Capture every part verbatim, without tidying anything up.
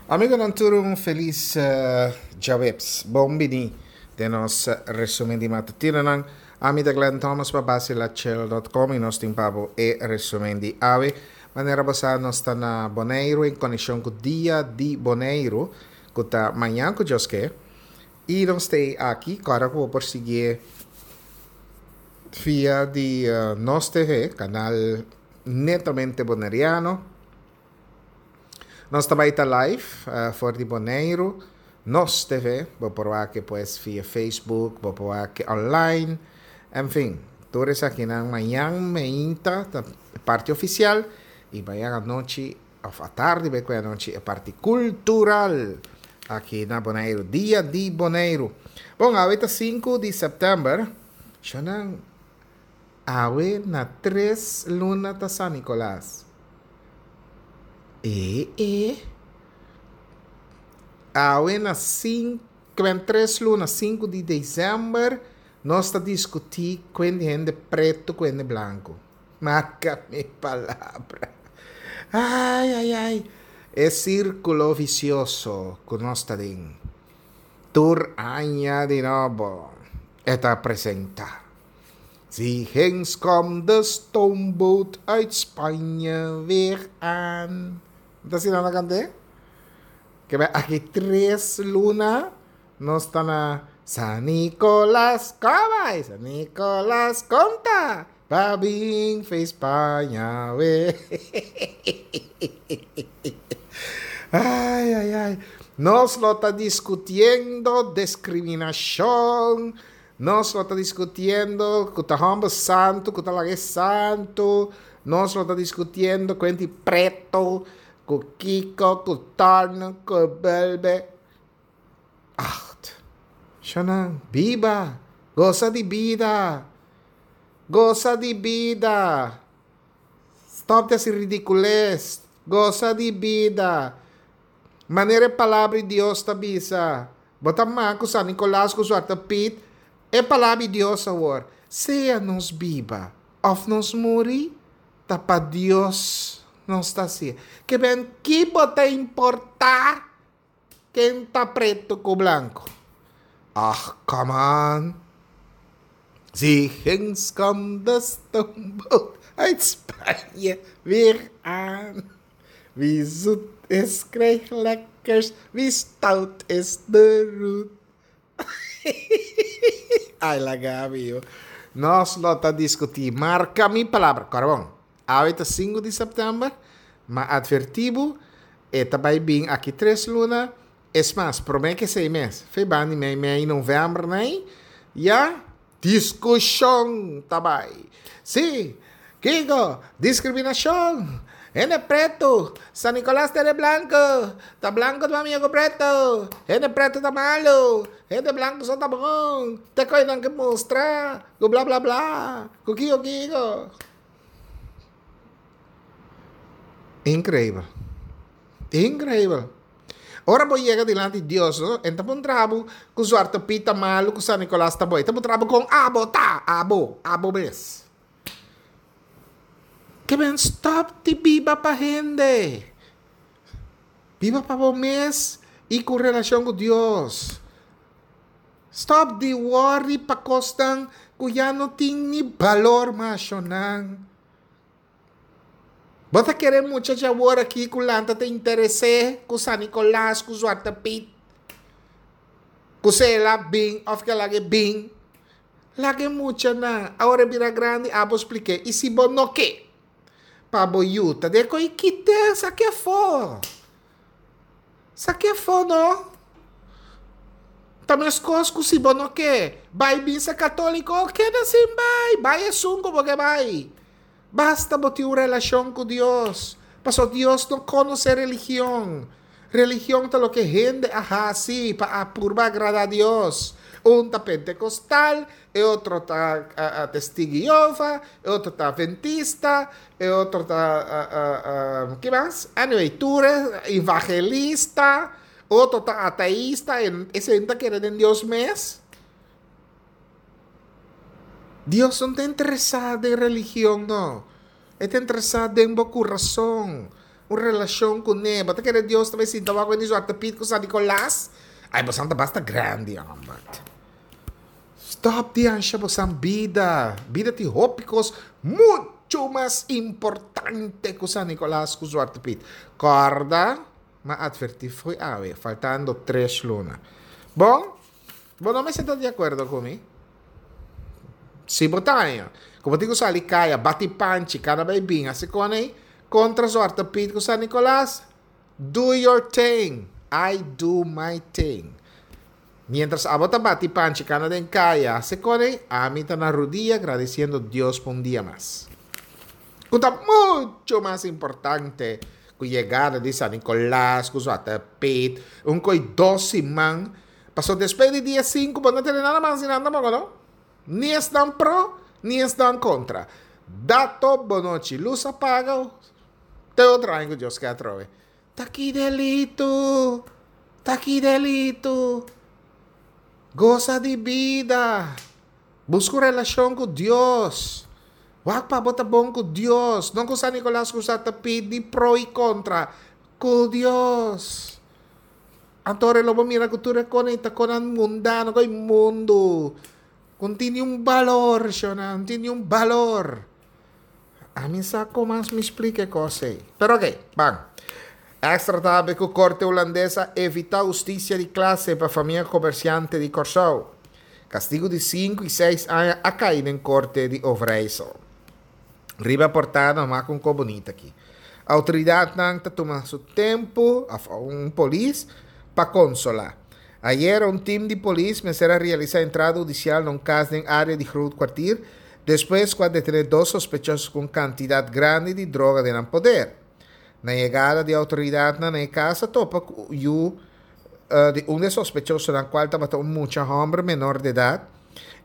Amigonan tur un felis djaweps. Bon bini den nos resumen di matutinonan. Ami ta Glenn Thomas pa Basilachel dot com y nos tin pa bo e resumen di awe. Manera bo sa nos ta na Boneiru en konekshon ku Dia di Boneiru ku ta mañan ku Dios ke. Y nos ta aki kòrda ku bo por siguié via di Nos T V, kanal netamente boneriano. Nos ta bai ta live for di Boneiru, Nos T V, bo por wak pues via Facebook, bo por wak online, en fin, tur esakinan mañan meinta ta e parti oficial y mañan anochi of atardi bai ku anochi e parti cultural aki na Boneiru, Dia di Boneiru. Bon, awe ta sinku di september, shonan awe na tres luna ta San Nicolas. E, e. Awe na sinku, tres luna, sinku di december, nos ta discuti kuen di hende preto, kuen di blanco. Marca mi palabra. Ai, ai, ai. E círculo vicioso ku nos ta den. Tur aña di nobo. E ta presenta. Zie ginds komt de stoomboot uit Spanje weer aan. Ta asina nan kant'é? Ke bai aki tres luna nos ta na San Nicolas kobay, San Nicolas konta, pa bin fe Spaña we. Ai, ai, ai. Nos lo ta discutiendo discriminacion. Nos lo ta discutiendo ku ta homber santo, ku ta laga santo. Nos lo ta discutiendo kuenti preto, ku Kiko, ku Torno, ku Belbe. Acht. Shonan, biba. Goza di bida. Goza di bida. Stop de hacer ridiculez. Goza di bida. Manera palabra di Dios ta bisa. Bota man ku San Nicolas ku Zwarte Piet. E palabra di Dios awor. Sea nos biba of nos muri, ta pa Dios nos ta así. Que ben, ki bo ta importa ken ta preto ku blanco? Ach, come on. Zie ginds komt de stoomboot uit Spanje weer aan. Wie zoet is, krijgt lekkers. Wie stout is, de roet. Ai, la Gabi, yo. Nos lo ta discuti. Marca mi palabra. Carbón. Awe ta sinku di september. Ma advertibo. E ta bai bin aki tres luna. Es mas, prome que seis mes. Fe bani mei mei november nei. Ya. Discusion ta bai. Sí. Kiko. Discriminacion. Hende preto, San Nicolas ta de blanco, ta blanco ta amigo preto, hende preto ta malo, hende blanco so ta bon, te koe nan ke mustra, ku bla bla bla, ku kiko kiko. Increíble. Increíble. Ora bo yega dilanti Dios, no? Enta pon trabu ku Zwarte Piet ta malo, ku San Nicolas ta bo. Enta pon trabu kon abo ta, abo, abo mes. Que ben stop di biba pa hende. Biba pa bo mes y ku relacion ku Dios. Stop di worry pa kosnan ku ya no tin ni balor mashonan. Bo ta kere mucha djawor aki ku lanta ta interesé ku San Nicolas, ku Zwarte Piet, ku sela bin of ke lage bin. Lage mucha na. Awor bira grandi, abo expliqué. Y si bo no ke, pa bo yuta de koi kite, saque afó. Saque afó, no? También es cos ku si bo no ke. Bai misa católico, queda sin bai. Bai esun como que bai. Basta bo tin un relación con Dios. Paso Dios no conoce religión. Religión ta lo que hende a hasi pa apurba agrada a Dios. Un ta pentecostal, e otro ta a, a testigo de Jehová, e otro ta adventista, e otro ta, a, a, a, ¿qué más? Anyway, tú eres evangelista, otro ta ateísta, en, ese enta quiere en Dios mes. Dios no está interesado en religión, no. Está interesado en bo corazón. Un relashon kuné. Bo ta kere Dios ta bai sinta wak wen di Zwarte Piet ku San Nicolas? Ai, bosan ta basta grandi, hòmber. Stòp di ansha bosan bida. Bida tin hopi kos muchu mas importante ku San Nicolas ku Zwarte Piet. Kòrda, m'a atvertí fo'i awe, faltando tres luna. Bon, bo no mester ta di akuerdo ku mi. Si bo ta haña ku bo tin ku sali kaya, bati panchi, kada bai bin hasi kon ei, kontra Zwarte Piet ku San Nicolas, do your thing, I do my thing. Mientras abo ta bati panchi kana den kaya hasi kon ei, ami ta na rudia gradisiendo Dios pa un dia mas. Ku ta mucho mas importante ku yegada di San Nicolas, ku Zwarte Piet, un koi dos siman, paso despues di dia sinku bo no tene nada mas di nan tampoco no. Ni esnan pro, ni esnan kontra. Dato bonochi, lus a paga te otro aña ku Dios ke atrobe. Ta ki delitu! Ta ki delitu! Gosa di bida! Buska un relashon ku Dios. Wak pa bo ta bon ku Dios, no ku San Nicolas ku sa ta pidi pro i kontra. Ku Dios. Anto ora lo bo mira ku tur e kos ei ta konan mundano, ku e mundu. Ku no tin niun balor, shona, no tin niun balor. Ami sa kon mas mi splika e kos ei. Pero oke, ban. Extra ta habri ku Korte Hulandes a evitá hustisia di klase pa famia komersiante di Kòrsou. Kastigu di sinku i seis aña a kai den Korte di Overijssel. Riba portada nos wak un kos bunita aki. Outoridatnan ta tuma su tempu, òf un polis, pa konsolá. Ayera un tim di polis mester a realisá entrada hudisial na un kas den área di Groot Kwartier despues ku a detené dos sospechoso ku un kantidat grandi di droga den nan poder. Na yegada di outoridatnan na e kas a topa ku yu di un di e sospechosonan kual tabata un mucha hòmber menor di edat.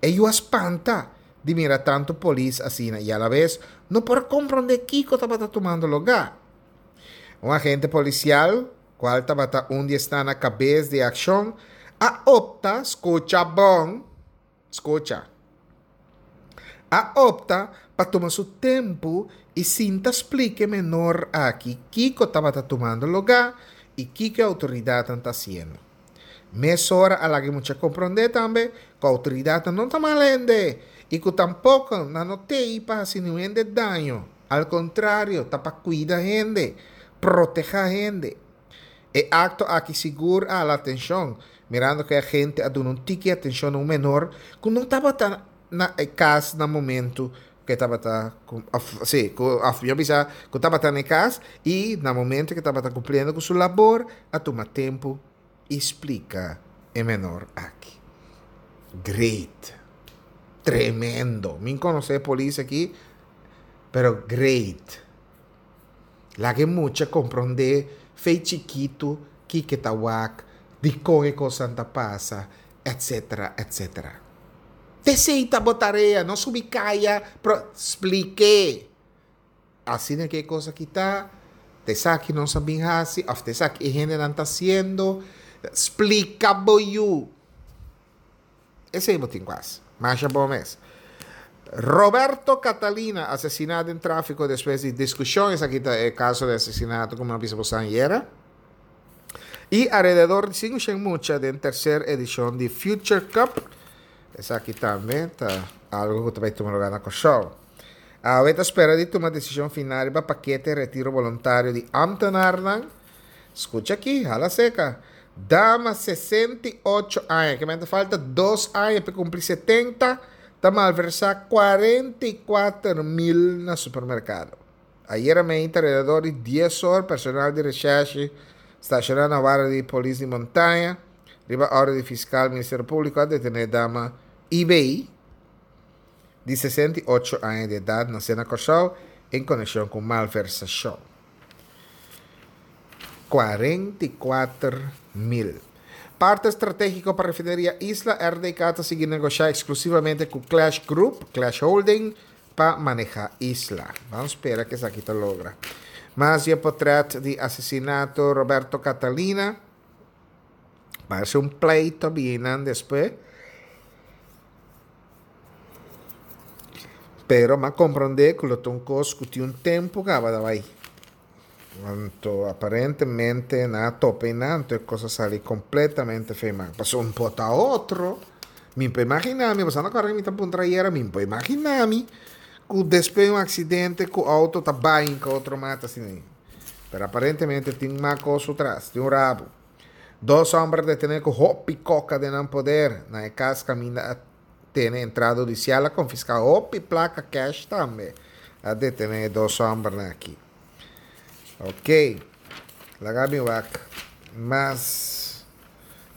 E yu a spanta di mira tantu polis asina i alabes no por a komprondé kiko tabata tumando lugá. Un agente polisial, kual tabata un di esnan na kabes di e akshon, a opta, skucha bon, skucha, a opta pa tuma su tempu i sinta splika e menor aki kiko tabata tumando lugá i kiko e outoridatnan ta hasiendo. Mesora a laga e mucha komprondé tambe ku outoridatnan no ta mal hende i ku tampoko nan no t'ei pa hasi niun hende daño, al kontrario ta pa kuida hende, protehá hende. E akto aki sigur a hala atenshon, mirando ku e agente a duna un tiki atenshon na un menor ku no tabata na e kas na momentu ku e tabata òf sí ku òf mihó bisa ku tabata na e kas i na momentu ku e tabata kumpliendo ku su labor a tuma tempu i splika e menor aki. Great! Tremendo! Mi konosé e polis aki pero great! Laga e mucha komprondé fei chikitu kiko e ta wak, dikon e kosnan ta pasa, etsetera, etsetera. T'esei ta bo tarea, no subi kaya, pero splik'é. Asina ke e kos aki ta, t'esaki nos a bin hasi òf t'esaki e hendenan ta hasiendo. Splika bo yu. Esei bo tin ku hasi. Masha bon mes. Roberto Catalina asesiná den tráfiko despues di diskushon. Esaki ta e kaso di asesinato ku mi a bisa boso ayera. I alrededor di sinku shen mucha den terser edishon di Future Cup. Esaki tambe ta algu ku ta bai tuma lugá na Kòrsou. Awe ta spera di tuma desishon final riba pakete retiro boluntario di ámtenarnan. Skucha aki, hala seka. Dama sesenta i ocho aña, ke men ta falta dos aña pa e kumpli setenta, ta malversá kuarenta i kuater mil na supermerkado. Ayera meinta alrededor di dies or personal di reshèrshi stashoná na warda di polis di Montaña riba òrdu di fiskal Ministerio Públiko a detené dama I B di sesenta i ocho aña di edat nasé na Kòrsou en konekshon ku malversashon. Kuarenta i kuater mil. Parte stratégiko pa Refineria Isla, R D K ta sigui negoshá eksklusivamente ku Klesch Group, Klesch Holding, pa manehá Isla. Ban spera ku esaki ta logra. Mas di e potrèt di asesinato Roberto Catalina. Parse un pleito binan despues. Pero m'a komprondé ku lo ta un kos ku tin un tempu kaba ta bai. Anto aparentemente nan a topa einan, anto e kos a sali kompletamente fei man. Pasobra un por ta otro, mi por imaginá mi, pasobra ora mi ta puntra ayera, mi por imaginá mi ku despues di un aksidente ku outo ta bai hinka otro mata asina ei. Pero aparentemente tin mas kos tras, tin un rabu. Dos hòmber detené ku hopi koka den nan poder na e kas kaminda a tene entrada hudisial a konfiská hopi plaka kèsh tambe. A detené e dos hòmbernan aki. Ok, laga mi wak mas.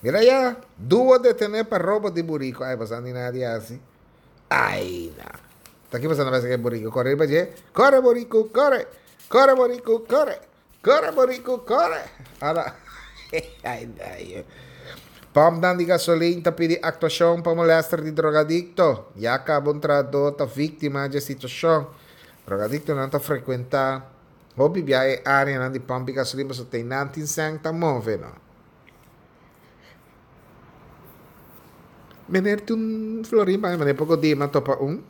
Mira ya, duo detené pa robo di buriku. Ai, boso a nina di hasi? Ai, na. Ta ki boso na pensa ku e buriku kore riba dje? Kore buriku, kore! Kore buriku, kore! Kore buriku, kore! Ala. Ai, ai. Pòmpnan di gasolin ta pidi aktuashon pa molèster di drogadikto. Ya kaba un trahadó ta víktima dje situashon. Drogadiktonan ta frekuentá hopi bia e áreanan di pòmp di gasolin pasobra te nan tin sèn ta move no. Meneer tin un florin pa mi, meneer poko di mi a topa un.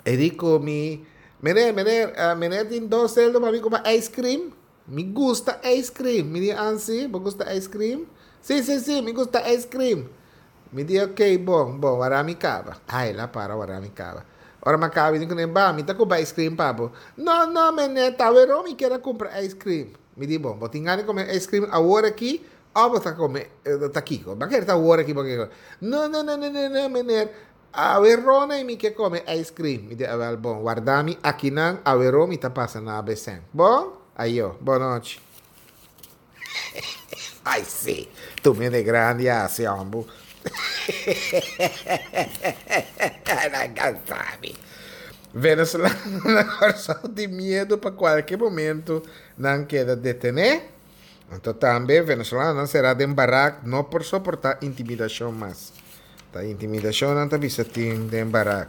E di ku mi, Meneer, meneer, meneer tin dos seldo pa mi kumpra ice cream? Mi gusta ice cream. Mi di, Ansi, bo gusta ice cream? Si, si, si, mi gusta ice cream. Mi di, ok, bon, bon, wara mi kaba. Ai, el a para wara mi kaba. Ora mi a kaba, mi di kuné, Ba, mi ta kumpra ice cream pa bo. No, no, meneer, ta aweró mi kier a kumpra ice cream. Mi di, bon, bo tin gana di kome ice cream awor aki òf bo ta kome, ta kiko? Bo a kere ta awor aki bo ke kome? No, no, no, no, no, no, meneer, Aweró na mi ke kome ice cream. Mi di, Awel bon, warda mi akinan, aweró mi ta pasa na abesen. Bon? Ayo, bon nochi. Ai si, tur hende grandi a hasi hombu. Nan kansa mi. Venezolano na Kòrsou tin miedu pa kualke momentu nan keda detené. Anto tambe venezolanonan será den barak no por soportá intimidashon mas. Ta intimidashon nan ta bisa tin den barak.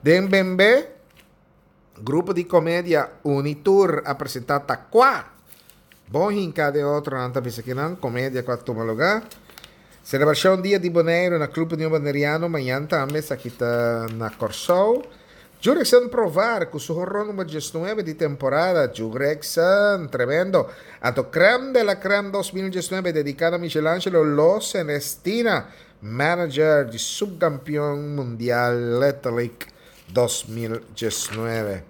Den Bembe, grupo di komedia Unitur a presentá Takua! Bon hinká den otro nan ta bisa kinan komedia ku a tuma lugá. Selebrashon Dia di Boneiru na Club Union Boneriano mañan tambe esaki ta na Kòrsou. Jurickson Provar ku su horon number diesnuebe di temporada. Jurickson, tremendo! Anto Crème de la Crème dos mil diesnuebe dediká na Michelangelo Lo Celestina, manager di subkampion mundial Little League dos mil diesnuebe.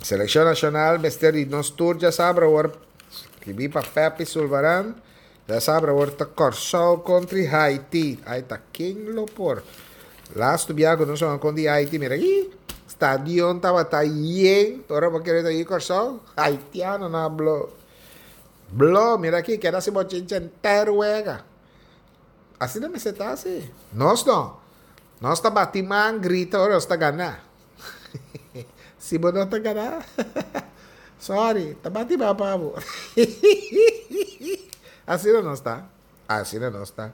Selekshon nashonal mester di nos tur djasabra awor, skibí pa Peppy Sulvaran, Djasabra awor ta Kòrsou kontri Haiti. Ai ta ken lo por. Lastu bia ku nos a kontra di Haiti mira aki stadion tabata yen ora bo kere ta yi Kòrsou haitiano nan a blo. Blo mira aki keda si bochincha enter wega. Asina mester ta si. Nos no. Nos ta bati man grita ora nos ta gana. Si bo no ta gana sorry ta bati man pa bo. Asina nos ta. Asina nos ta.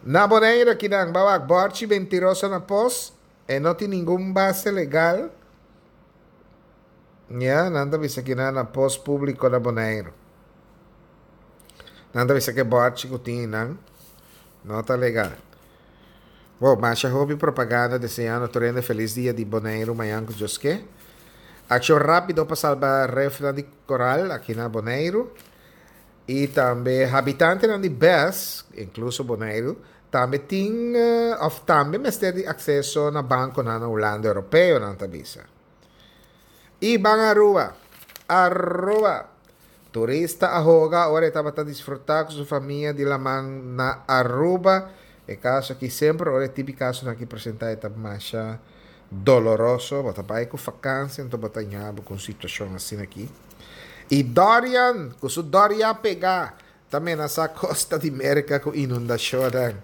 Na Boneiru akinan ba wak bòrchi mentiroso na pos, e no tin ningun base legal. Ya, nan ta bisa kinan na pos públiko na Boneiru. Nan ta bisa ku e bòrchi ku tin einan no ta legal. Bo, masha hopi propaganda deseando tur hende felis dia di Boneiru mañan ku Dios ke. Akshon rápido pa salba refnan di koral aki na Boneiru. I tambe habitantenan di bes, inkluso Boneiru, tambe tin òf tambe mester di akseso na bankonan na Hulanda Europeo, nan ta bisa. I ban Aruba! Aruba! Turista a hoga ora e tabata disfrutá ku su famia di laman na Aruba. E kaso aki semper ora e tipi kasonan aki presentá e ta masha doloroso. Bo ta bai ku fakansia anto bo ta ña bo ku un situashon asina aki. I Dorian ku su Doria pegá ta menasá kosta di Merka ku inundashonnan.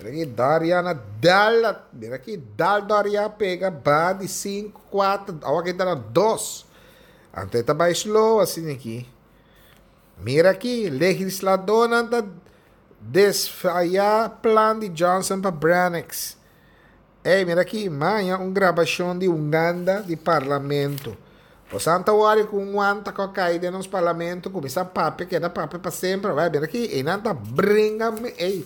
Mira aki Dorian a dal, mira aki dal Doria pega ba di sinku, kuater, awa aki ta na dos. Anto e ta bai slow asina aki. Mira aki, legisladónan ta desfayá plan di Johnson pa Branix. Ey, mira aki, maña un grabashon di Uganda di parlamento. Bosan ta wòri ku un wanta ku a kai den nos parlamento, kuminsá papia, keda papia pa semper. Wèl, mira aki, einan ta bringa, ey,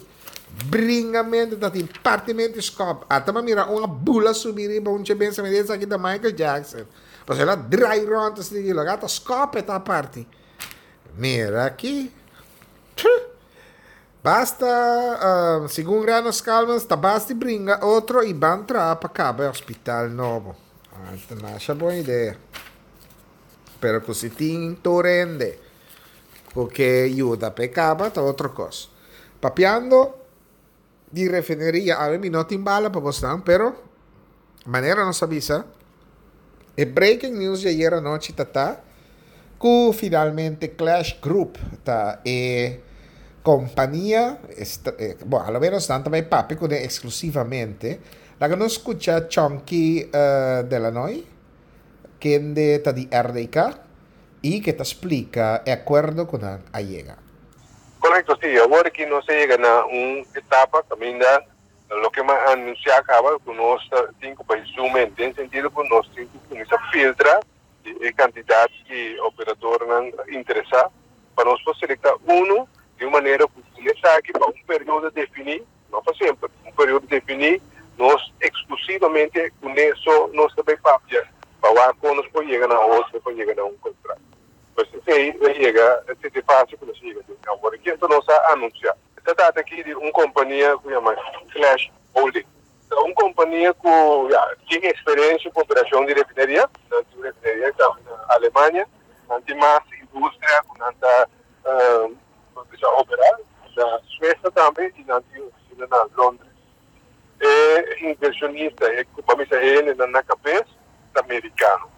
bringamentu ta tin partimentu skòp. Ata mi a mira un a bula subi riba un dje bensa, mi di esaki ta Michael Jackson. Pasobra el a drai rònt asina di laga ta skòp e ta parti. Mira aki. Basta, uh, segun Rano Scalmans, ta basta bringa otro i ban traha pa kaba e hospital nobo. Ah, masha bon idea. Pero ku si tin tur hende ku ke yuda p'e kaba ta otro kos. Papiando di refineria, awe mi no tin bala pa bosnan, pero manera nos a bisa, e breaking news di ayera nochi ta ta ku finalmente Clash Group ta e kompania, bon, a lo menos nan ta bai papia kuné eksklusivamente. Laga nos skucha Chonky Delanoy, kende ta di R D K i ke ta splika e akuerdo ku nan a yega. Korekto, sí. Awor ku nos a yega na un etapa kaminda loke m'a anunsiá kaba ku nos tin ku zoom in, den sentido ku nos tin ku kuminsá filtra e kantidat di operadornan interesá pa nos por selektá un di un manera ku esaki pa un periodo definí, no pa semper, un periodo definí, nos eksklusivamente kuné so nos ta bai papia pa kon nos por yega na otro, por yega na un kontrato. Pues esei a yega, e fase ku nos a yega. Awor, ku nos a anunsiá? Ta trata aki di un kompania ku yama Clash Holding. Un kompania ku ya tin eksperensia ku operashon di refineria, nan tin refineria tambe na Alemania, nan tin mas industria ku nan ta operá na Suecia tambe i nan tin ofisina na Londres. E invershonista, e kompania na na kabes amerikano.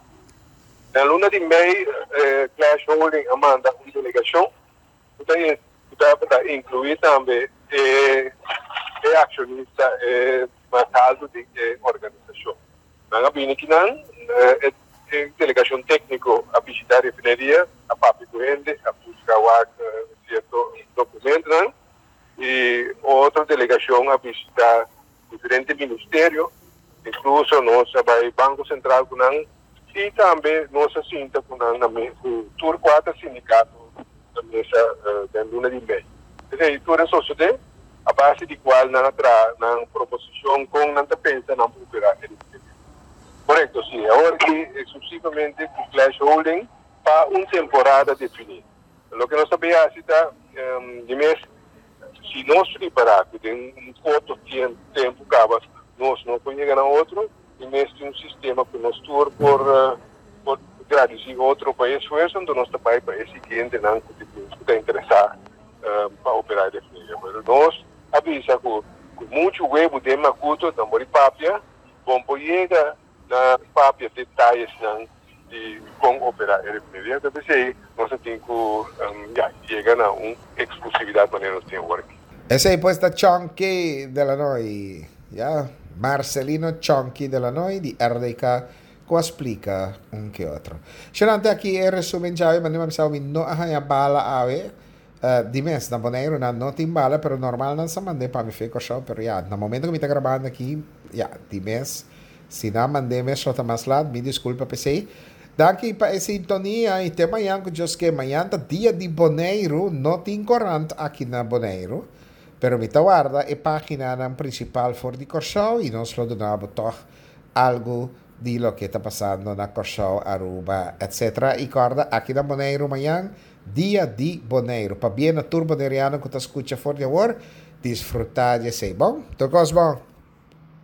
Na luna di mei, eh, Clash Holding a manda un delegashon ku ta inkluí tambe e, e akshonista e mas altu di e organisashon. Nan a bini akinan, e, e delegashon tékniko a bishitá e refineria, a papia ku hende, a buska sierto dokumentonan, i otro delegashon a bishitá diferente ministerio, inkluso nos a bai Banko Sentral ku nan, i tambe nos a sinta ku nan na tur kuater sindikato na mesa uh, luna di mei. Esei tur a sosodé, a base di kual nan a traha nan proposishon kon nan ta pensa nan operá e Korekto, sí. Awor ku eksklusivamente ku Clash Holding pa un temporada definí. Loke nos sa ta, um, di mes, si nos prepará den un korto tempu kaba, nos no por yega na otro, i mes tin un sistema ku nos tur por, uh, por gradisí otro pa esfuerso, anto nos ta bai pa e siguientenan ku ta interesá um, pa operá e refineria. Mas nos a bisa ku ku muchu webu den makutu, no por papia, bon por yega na papia detayenan di kon operá e refineria. Anto, esei, nos tin ku um, ya, yega na un eksklusividat manera nos tin awor. Esei pues ta Chonky Delanoy, ya, Marcelino Chonky Delanoy di R D K ku a splika un ke otro. Xerante aki e resumen djawe, ma mi sabi no a haña bala awe, uh, di mes, na Boneiru nan no tin bala, pero normal nan sa mand'é pa mi for di Kòrsou, pero ya, na momento ku mi ta grabando aki, ya, di mes, si nan mand'é mes ta mas lat, mi diskulpa p'esei. Danki pa e sintonia i te mañan ku Dios ke. Mañan ta dia di Boneiru, no tin korant aki na Boneiru, pero mi ta warda e páginanan prinsipal for di Kòrsou i nos lo duna toch algu di loke ta pasando na Kòrsou, Aruba, et cetera. I kòrda, aki na Boneiru mañan, dia di Boneiru. Pabien na tur boneriano ku ta skucha for di awor, disfrutá di esei. Bon, tur kos bon.